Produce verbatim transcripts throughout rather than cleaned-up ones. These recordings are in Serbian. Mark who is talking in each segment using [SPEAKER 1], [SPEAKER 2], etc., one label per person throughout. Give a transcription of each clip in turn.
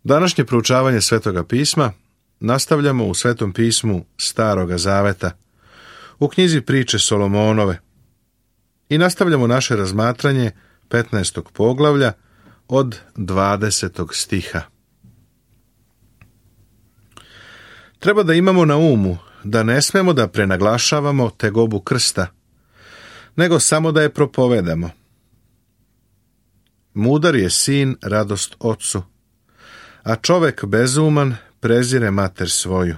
[SPEAKER 1] Današnje proučavanje Svetoga pisma nastavljamo u Svetom pismu Staroga zaveta, u knjizi Priče Solomonove, i nastavljamo naše razmatranje petnaestog poglavlja od dvadesetog stiha. Treba da imamo na umu da ne smemo da prenaglašavamo tegobu krsta, nego samo da je propovedamo. Mudar je sin radost ocu, a čovek bezuman prezire mater svoju.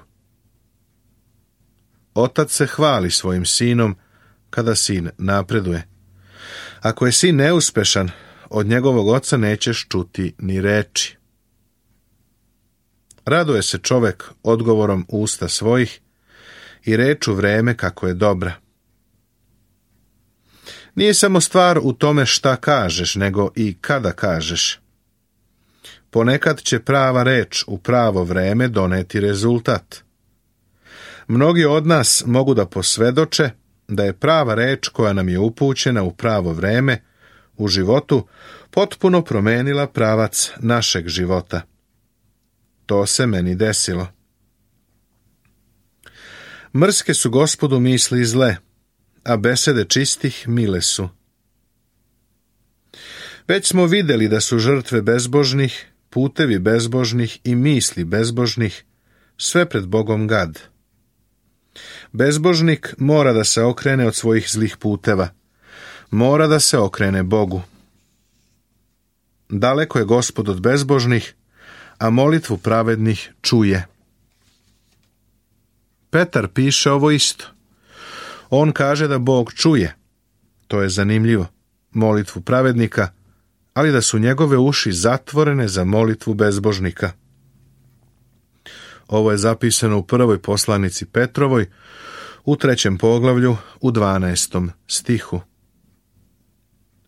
[SPEAKER 1] Otac se hvali svojim sinom kada sin napreduje. Ako je sin neuspešan, od njegovog oca nećeš čuti ni reči. Raduje se čovek odgovorom usta svojih i reču vreme kako je dobra. Nije samo stvar u tome šta kažeš, nego i kada kažeš. Ponekad će prava reč u pravo vreme doneti rezultat. Mnogi od nas mogu da posvedoče da je prava reč koja nam je upućena u pravo vreme u životu potpuno promenila pravac našeg života. To se meni desilo. Mrske su Gospodu misli zle, a besede čistih mile su. Već smo vidjeli da su žrtve bezbožnih, putevi bezbožnih i misli bezbožnih sve pred Bogom gad. Bezbožnik mora da se okrene od svojih zlih puteva, mora da se okrene Bogu. Daleko je Gospod od bezbožnih, a molitvu pravednih čuje. Petar piše ovo isto. On kaže da Bog čuje, to je zanimljivo, molitvu pravednika, ali da su njegove uši zatvorene za molitvu bezbožnika. Ovo je zapisano u prvoj poslanici Petrovoj, u trećem poglavlju, u dvanaestom stihu.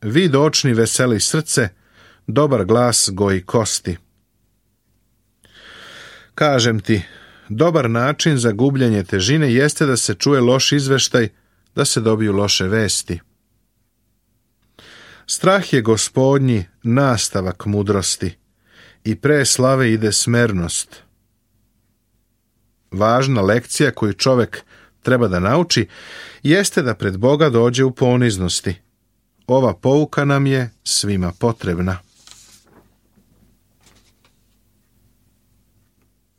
[SPEAKER 1] Vid očni veseli srce, dobar glas goji kosti. Kažem ti, dobar način za gubljenje težine jeste da se čuje loš izveštaj, da se dobiju loše vesti. Strah je Gospodnji nastavak mudrosti i pre slave ide smernost. Važna lekcija koju čovek treba da nauči jeste da pred Boga dođe u poniznosti. Ova pouka nam je svima potrebna.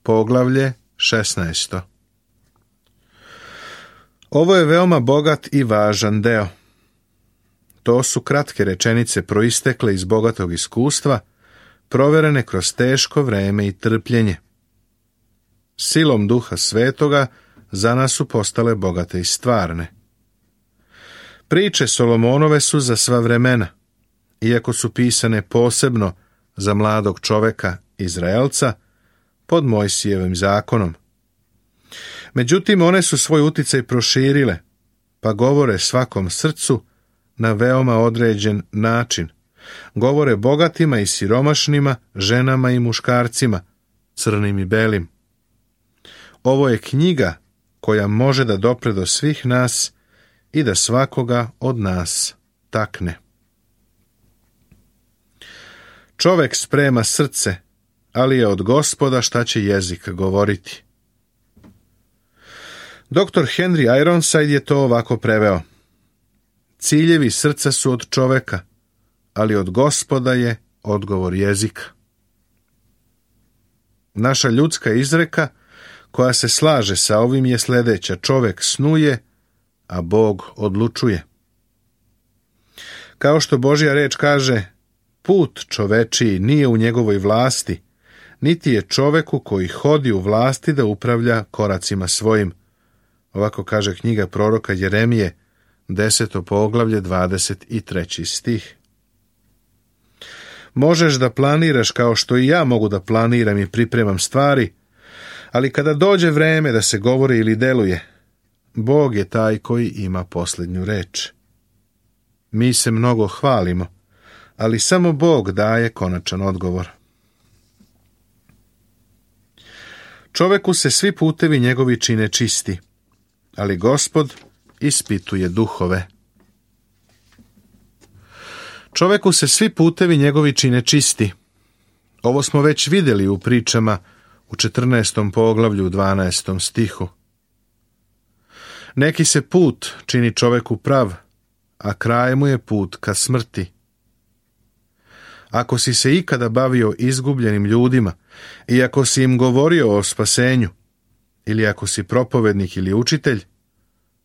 [SPEAKER 1] Poglavlje šesnaesto. Ovo je veoma bogat i važan deo. To su kratke rečenice proistekle iz bogatog iskustva, proverene kroz teško vreme i trpljenje. Silom Duha Svetoga za nas su postale bogate i stvarne. Priče Solomonove su za sva vremena, iako su pisane posebno za mladog čoveka, Izraelca, pod Mojsijevim zakonom. Međutim, one su svoj uticaj proširile, pa govore svakom srcu na veoma određen način. Govore bogatima i siromašnima, ženama i muškarcima, crnim i belim. Ovo je knjiga koja može da dopre do svih nas i da svakoga od nas takne. Čovek sprema srce, ali je od Gospoda šta će jezik govoriti. Doktor Henry Ironside je to ovako preveo. Ciljevi srca su od čoveka, ali od Gospoda je odgovor jezika. Naša ljudska izreka koja se slaže sa ovim je sljedeća: čovek snuje, a Bog odlučuje. Kao što Božja reč kaže, put čovečiji nije u njegovoj vlasti, niti je čoveku koji hodi u vlasti da upravlja koracima svojim. Ovako kaže knjiga proroka Jeremije, deseto poglavlje, dvadeset treći stih. Možeš da planiraš kao što i ja mogu da planiram i pripremam stvari, ali kada dođe vreme da se govori ili deluje, Bog je taj koji ima posljednju reč. Mi se mnogo hvalimo, ali samo Bog daje konačan odgovor. Čoveku se svi putevi njegovi čine čisti, ali Gospod ispituje duhove. Čoveku se svi putevi njegovi čine čisti, Ovo smo već vidjeli u pričama u četrnaestom poglavlju u dvanaestom stihu. Neki se put čini čoveku prav, a kraj mu je put ka smrti. Ako si se ikada bavio izgubljenim ljudima i ako si im govorio o spasenju, ili ako si propovednik ili učitelj,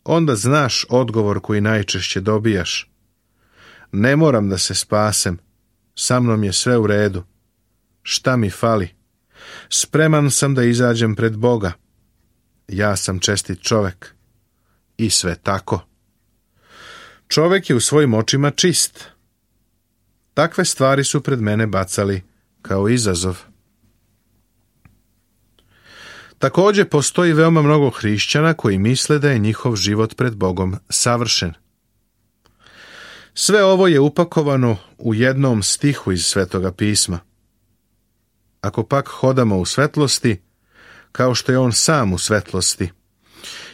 [SPEAKER 1] onda znaš odgovor koji najčešće dobijaš. Ne moram da se spasem, sa mnom je sve u redu. Šta mi fali? Spreman sam da izađem pred Boga. Ja sam čestit čovek. I sve tako. Čovek je u svojim očima čist. Takve stvari su pred mene bacali kao izazov. Također postoji veoma mnogo hrišćana koji misle da je njihov život pred Bogom savršen. Sve ovo je upakovano u jednom stihu iz Svetoga pisma. Ako pak hodamo u svetlosti, kao što je on sam u svetlosti,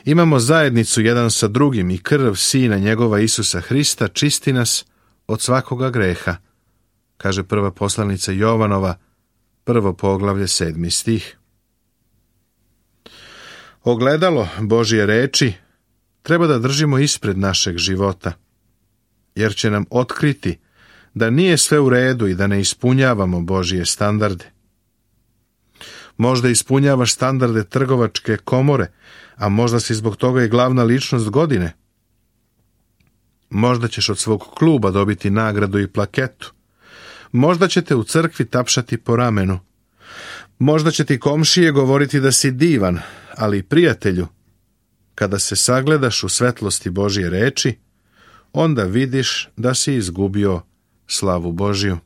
[SPEAKER 1] imamo zajednicu jedan sa drugim i krv Sina njegova Isusa Hrista čisti nas od svakoga greha, kaže prva poslanica Jovanova, prvo poglavlje, sedmi stih. Ogledalo Božje reči treba da držimo ispred našeg života, jer će nam otkriti da nije sve u redu i da ne ispunjavamo Božje standarde. Možda ispunjavaš standarde trgovačke komore, a možda si zbog toga i glavna ličnost godine. Možda ćeš od svog kluba dobiti nagradu i plaketu. Možda će te u crkvi tapšati po ramenu. Možda će ti komšije govoriti da si divan, ali prijatelju, kada se sagledaš u svetlosti Božje reči, onda vidiš da si izgubio slavu Božju.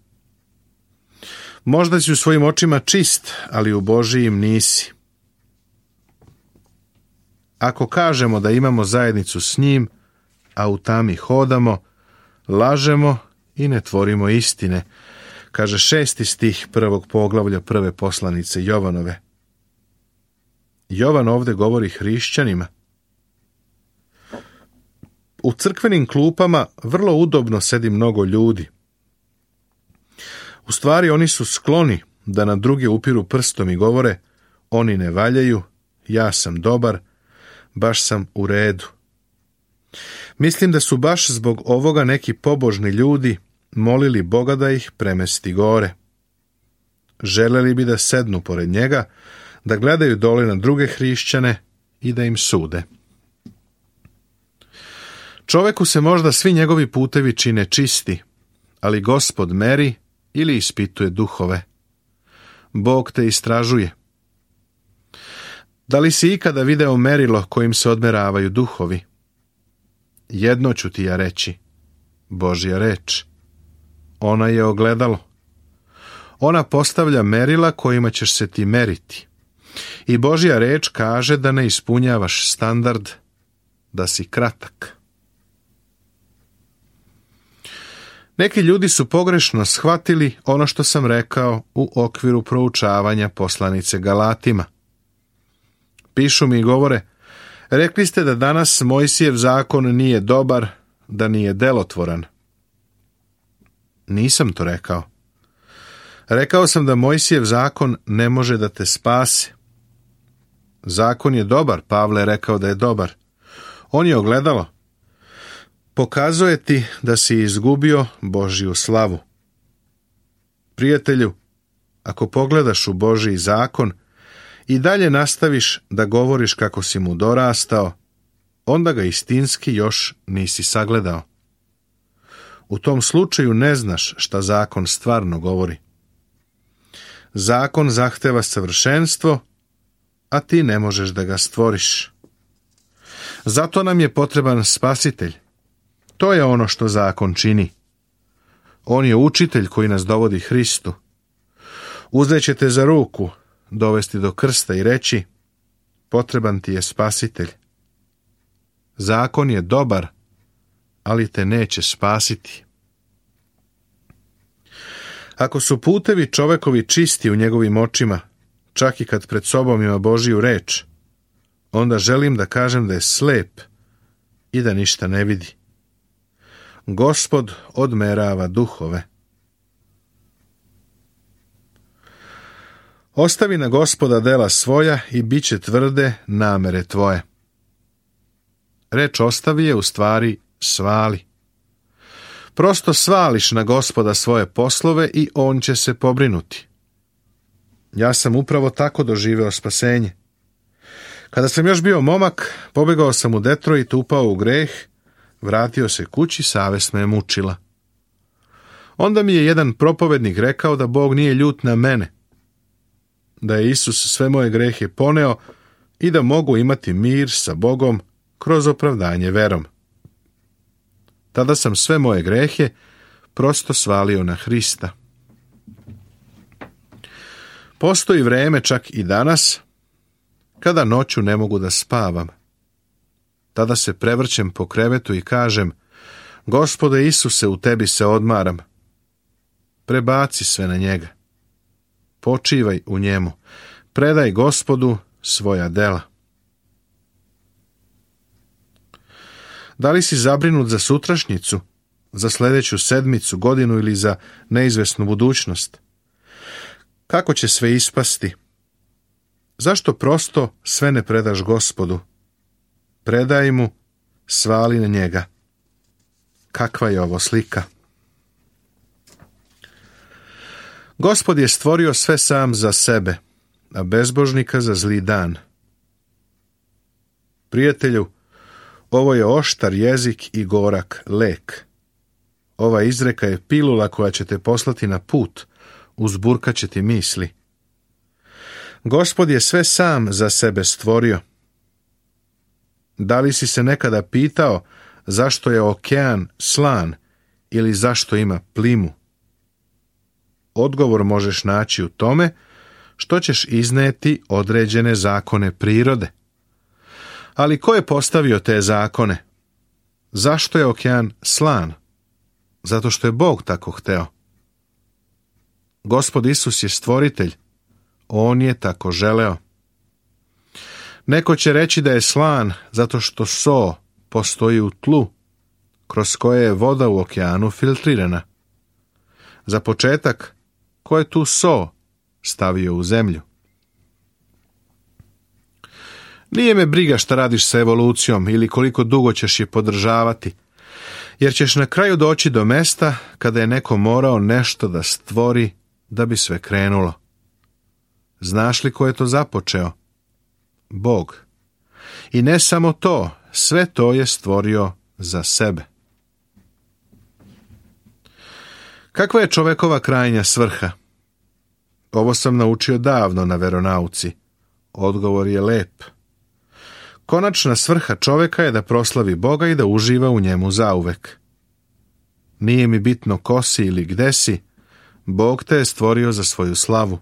[SPEAKER 1] Možda si u svojim očima čist, ali u Božijim nisi. Ako kažemo da imamo zajednicu s njim, a u tami hodamo, lažemo i ne tvorimo istine, kaže šesti stih prvog poglavlja prve poslanice Jovanove. Jovan ovdje govori hrišćanima. U crkvenim klupama vrlo udobno sedi mnogo ljudi. U stvari oni su skloni da na druge upiru prstom i govore: oni ne valjaju, ja sam dobar, baš sam u redu. Mislim da su baš zbog ovoga neki pobožni ljudi molili Boga da ih premesti gore. Želeli bi da sednu pored njega, da gledaju dole na druge hrišćane i da im sude. Čoveku se možda svi njegovi putevi čine čisti, ali Gospod meri ili ispituje duhove. Bog te istražuje. Da li si ikada video merilo kojim se odmeravaju duhovi? Jedno ću ti ja reći, Božja reč. Ona je ogledalo. Ona postavlja merila kojima ćeš se ti meriti. I Božja reč kaže da ne ispunjavaš standard, da si kratak. Neki ljudi su pogrešno shvatili ono što sam rekao u okviru proučavanja poslanice Galatima. Pišu mi i govore: rekli ste da danas Mojsijev zakon nije dobar, da nije delotvoran. Nisam to rekao. Rekao sam da Mojsijev zakon ne može da te spase. Zakon je dobar, Pavle je rekao da je dobar. On je ogledalo. Pokazuje ti da si izgubio Božju slavu. Prijatelju, ako pogledaš u Božji zakon i dalje nastaviš da govoriš kako si mu dorastao, onda ga istinski još nisi sagledao. U tom slučaju ne znaš šta zakon stvarno govori. Zakon zahteva savršenstvo, a ti ne možeš da ga stvoriš. Zato nam je potreban spasitelj. To je ono što zakon čini. On je učitelj koji nas dovodi Hristu. Uzet te za ruku, dovesti do krsta i reći: potreban ti je spasitelj. Zakon je dobar, ali te neće spasiti. Ako su putevi čovekovi čisti u njegovim očima, čak i kad pred sobom ima Božju reč, onda želim da kažem da je slep i da ništa ne vidi. Gospod odmerava duhove. Ostavi na Gospoda dela svoja i bit će tvrde namere tvoje. Reč ostavi je u stvari svali. Prosto svališ na Gospoda svoje poslove i on će se pobrinuti. Ja sam upravo tako doživeo spasenje. Kada sam još bio momak, pobegao sam u Detroit, upao u greh, vratio se kući, savest me je mučila. Onda mi je jedan propovednik rekao da Bog nije ljut na mene, da je Isus sve moje grehe poneo i da mogu imati mir sa Bogom kroz opravdanje verom. Tada sam sve moje grehe prosto svalio na Hrista. Postoji vreme čak i danas kada noću ne mogu da spavam. Tada se prevrćem po krevetu i kažem: Gospode Isuse, u tebi se odmaram. Prebaci sve na njega. Počivaj u njemu. Predaj Gospodu svoja dela. Da li si zabrinut za sutrašnjicu, za sljedeću sedmicu, godinu ili za neizvesnu budućnost? Kako će sve ispasti? Zašto prosto sve ne predaš Gospodu? Predaj mu, svali na njega. Kakva je ovo slika? Gospod je stvorio sve sam za sebe, a bezbožnika za zli dan. Prijatelju, ovo je oštar jezik i gorak lek. Ova izreka je pilula koja će te poslati na put, uzburkat će ti misli. Gospod je sve sam za sebe stvorio. Da li si se nekada pitao zašto je okean slan ili zašto ima plimu? Odgovor možeš naći u tome što ćeš izneti određene zakone prirode. Ali ko je postavio te zakone? Zašto je okean slan? Zato što je Bog tako hteo. Gospod Isus je stvoritelj. On je tako želeo. Neko će reći da je slan zato što so postoji u tlu, kroz koje je voda u okeanu filtrirana. Za početak, ko je tu so stavio u zemlju? Nije me briga šta radiš sa evolucijom ili koliko dugo ćeš je podržavati, jer ćeš na kraju doći do mesta kada je neko morao nešto da stvori da bi sve krenulo. Znaš li ko je to započeo? Bog. I ne samo to, sve to je stvorio za sebe. Kakva je čovekova krajnja svrha? Ovo sam naučio davno na veronauci. Odgovor je lep. Konačna svrha čoveka je da proslavi Boga i da uživa u njemu zauvek. Nije mi bitno ko si ili gde si, Bog te je stvorio za svoju slavu.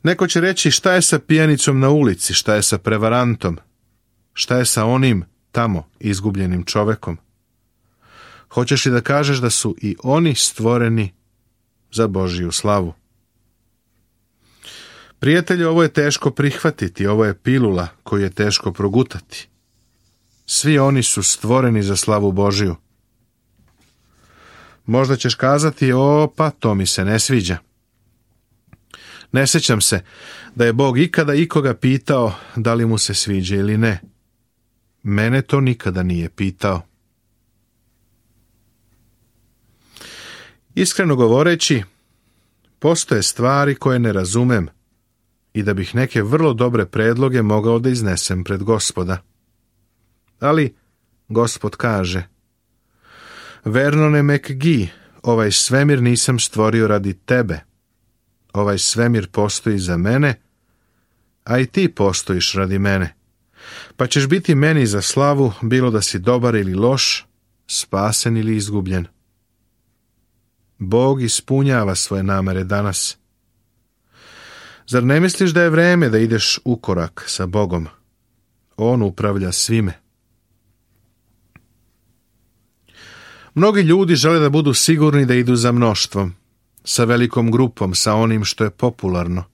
[SPEAKER 1] Neko će reći šta je sa pijanicom na ulici, šta je sa prevarantom, šta je sa onim tamo izgubljenim čovekom. Hoćeš li da kažeš da su i oni stvoreni za Božju slavu? Prijatelji, ovo je teško prihvatiti, ovo je pilula koju je teško progutati. Svi oni su stvoreni za slavu Božju. Možda ćeš kazati: o, pa to mi se ne sviđa. Ne sjećam se da je Bog ikada ikoga pitao da li mu se sviđa ili ne. Mene to nikada nije pitao. Iskreno govoreći, postoje stvari koje ne razumem i da bih neke vrlo dobre predloge mogao da iznesem pred Gospoda. Ali Gospod kaže: Vernone McGee, ovaj svemir nisam stvorio radi tebe. Ovaj svemir postoji za mene, a i ti postojiš radi mene. Pa ćeš biti meni za slavu, bilo da si dobar ili loš, spasen ili izgubljen. Bog ispunjava svoje namere danas. Zar ne misliš da je vreme da ideš u korak sa Bogom? On upravlja svime. Mnogi ljudi žele da budu sigurni da idu za mnoštvom, sa velikom grupom, sa onim što je popularno.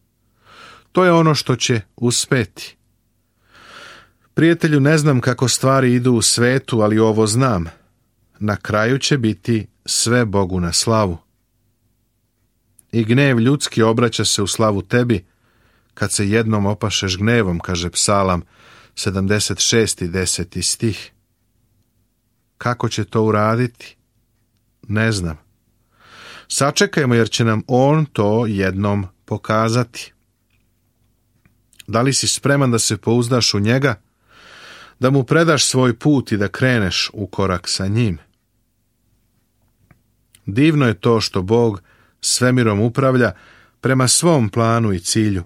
[SPEAKER 1] To je ono što će uspeti. Prijatelju, ne znam kako stvari idu u svetu, ali ovo znam. Na kraju će biti sve Bogu na slavu. i gnev ljudski obraća se u slavu tebi, kad se jednom opašeš gnevom, kaže Psalam sedamdeset šest. deseti stih. Kako će to uraditi? Ne znam. Sačekajmo, jer će nam on to jednom pokazati. Da li si spreman da se pouzdaš u njega, da mu predaš svoj put i da kreneš u korak sa njim? Divno je to što Bog svemirom upravlja prema svom planu i cilju.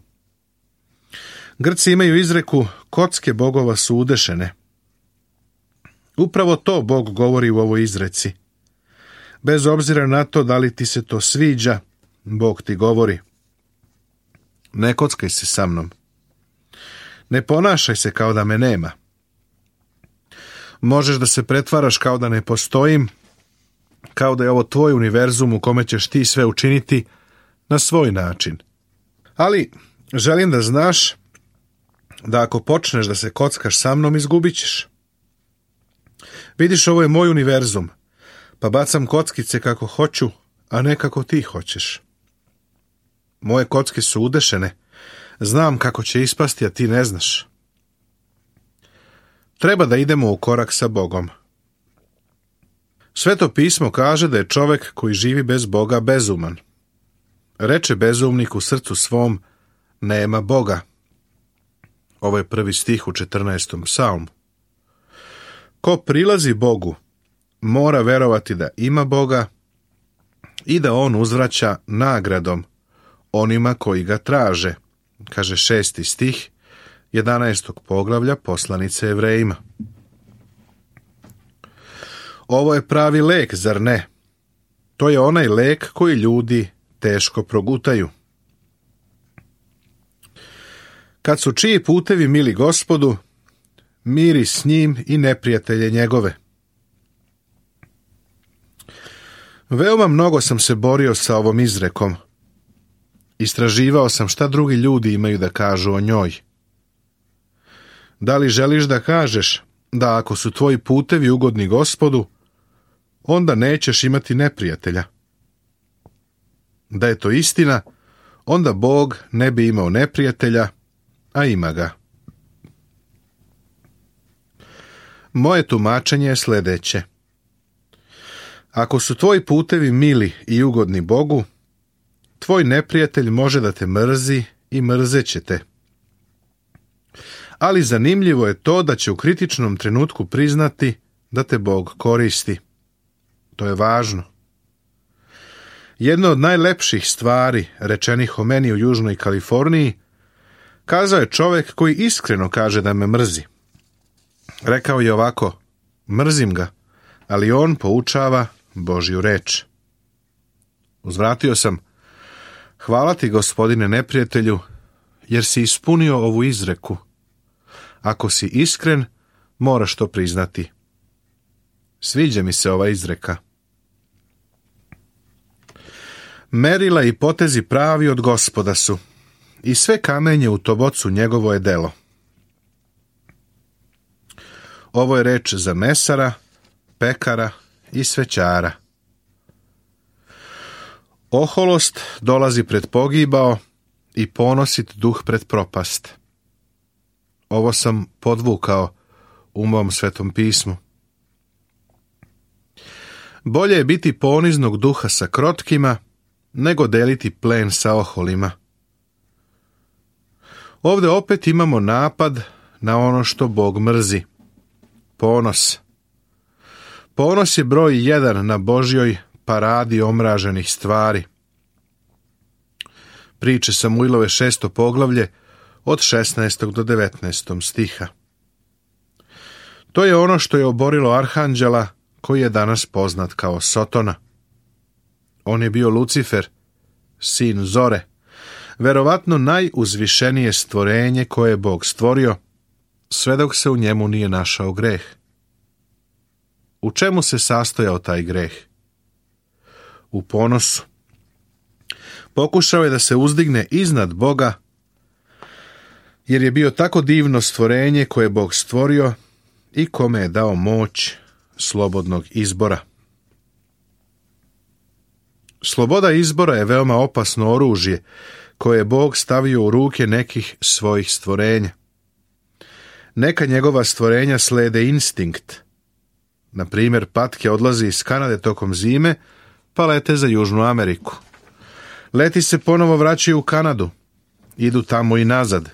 [SPEAKER 1] Grci imaju izreku, kocke bogova su udešene. Upravo to Bog govori u ovoj izreci. Bez obzira na to da li ti se to sviđa, Bog ti govori. Ne kockaj se sa mnom. Ne ponašaj se kao da me nema. Možeš da se pretvaraš kao da ne postojim, kao da je ovo tvoj univerzum u kome ćeš ti sve učiniti na svoj način. Ali želim da znaš da ako počneš da se kockaš sa mnom, izgubit ćeš. Vidiš, ovo je moj univerzum, pa bacam kockice kako hoću, a ne kako ti hoćeš. Moje kocke su udešene, znam kako će ispasti, a ti ne znaš. Treba da idemo u korak sa Bogom. Sveto pismo kaže da je čovek koji živi bez Boga bezuman. Reče bezumnik u srcu svom, nema Boga. Ovo je prvi stih u četrnaestom psalmu. Ko prilazi Bogu, mora verovati da ima Boga i da on uzvraća nagradom onima koji ga traže, kaže šesti stih jedanaestog poglavlja poslanice Jevrejima. Ovo je pravi lek, zar ne? To je onaj lek koji ljudi teško progutaju. Kad su čiji putevi mili Gospodu, miri s njim i neprijatelje njegove. Veoma mnogo sam se borio sa ovom izrekom. Istraživao sam šta drugi ljudi imaju da kažu o njoj. Da li želiš da kažeš da ako su tvoji putevi ugodni Gospodu, onda nećeš imati neprijatelja? Da je to istina, onda Bog ne bi imao neprijatelja, a ima ga. Moje tumačenje je sljedeće. Ako su tvoji putevi mili i ugodni Bogu, tvoj neprijatelj može da te mrzi i mrzeće te. Ali zanimljivo je to da će u kritičnom trenutku priznati da te Bog koristi. To je važno. Jedno od najlepših stvari rečenih o meni u Južnoj Kaliforniji kazao je čovjek koji iskreno kaže da me mrzi. Rekao je ovako, mrzim ga, ali on poučava Božju reč. Uzvratio sam, hvala ti, gospodine neprijatelju, jer si ispunio ovu izreku. Ako si iskren, moraš to priznati. Sviđa mi se ova izreka. Merila i potezi pravi od Gospoda su, i sve kamenje u tobocu njegovo je delo. Ovo je reč za mesara, pekara i svećara. Oholost dolazi pred pogibao i ponosit duh pred propast. Ovo sam podvukao u mom svetom pismu. Bolje je biti poniznog duha sa krotkima, nego deliti plen sa oholima. Ovdje opet imamo napad na ono što Bog mrzi. Ponos. Ponos je broj jedan na Božjoj paradi omraženih stvari. Priče Samuilove šesto poglavlje od šesnaestog do devetnaestog stiha. To je ono što je oborilo arhanđela koji je danas poznat kao Sotona. On je bio Lucifer, sin Zore, verovatno najuzvišenije stvorenje koje je Bog stvorio, sve dok se u njemu nije našao greh. U čemu se sastojao taj greh? U ponosu. Pokušao je da se uzdigne iznad Boga, jer je bio tako divno stvorenje koje je Bog stvorio i kome je dao moć slobodnog izbora. Sloboda izbora je veoma opasno oružje koje je Bog stavio u ruke nekih svojih stvorenja. Neka njegova stvorenja slede instinkt. Na primjer, patke odlazi iz Kanade tokom zime, pa lete za Južnu Ameriku. Leti se ponovo vraćaju u Kanadu, idu tamo i nazad.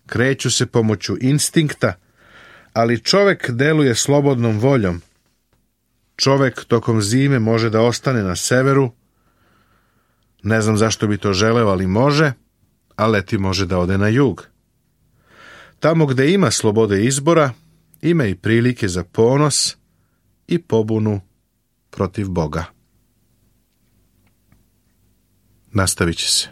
[SPEAKER 1] Kreću se pomoću instinkta, ali čovjek deluje slobodnom voljom. Čovjek tokom zime može da ostane na severu, ne znam zašto bi to želeo, ali može, a leti može da ode na jug. Tamo gde ima slobode izbora, ima i prilike za ponos i pobunu protiv Boga. Nastavit će se.